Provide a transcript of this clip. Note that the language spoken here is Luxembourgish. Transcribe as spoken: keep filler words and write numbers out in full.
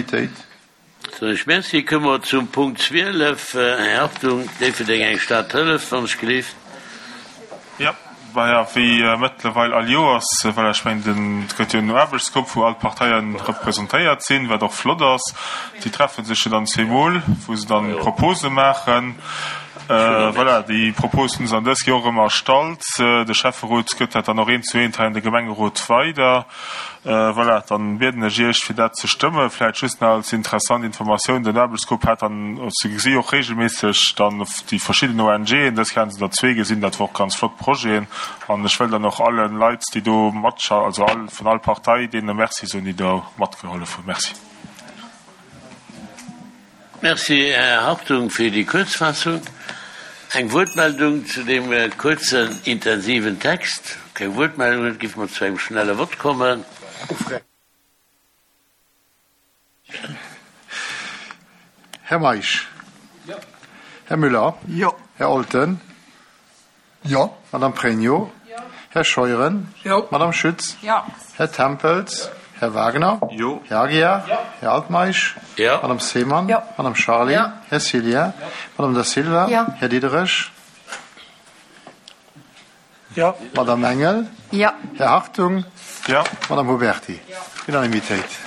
Unanimitéit. Soen ech Merci. Komme mer zum Punkt zwielef. Här Hartung, Déifferdeng, eng Stad hëlleft, wann ech gelift. Jo, maja, wéi mëttlerweil all Joers, well ech mengen, et gëtt jo en Aarbechtsgrupp, wou all d'Parteien representéiert sinn, wat och flott ass. Déi treffe sech jo dann zweemol, wou se dann Propose maachen. Voilà, déi Propos hunn se an dës Joer erëm erstallt. De Schäfferot gëtt dat dann och eent zu eent hei an de Gemengerot weider. Voilà, dann bieden ech Iech, fir dat ze stëmmen. Vläicht just nach als interessant Informatioun, Den Aarbechtsgrupp hat dann, se gesi och regelméisseg dann déi verschidden ONGen, dës Kéier hate se der zwee gesinn, dat war och ganz flott Projeten. An ech wëll dann och alle Leit, déi do matscha-, also all, vun all Partei, deene Merci soen, déi do matgehollef hunn. Merci. Merci, Här Hartung, fir déi Kuerzfassung. Eng Wuertmeldung zu deem kuerzen, intensiven Text? Keng Wuertmeldungen. Géife mer zu engem schnelle Vott kommen. Här Meisch? Här Müller? Här Olten? Madame Pregno? Här Scheuren? Madame Schütz? Här Tempels? Här Wagner? Här Aguiar? Här Altmeisch? Madame Seemann? Madame Charlé? Här Cillien? Madame Da Silva? Här Diderich? Madame Engel? Här Hartung? Madame Huberty? Unanimitéit.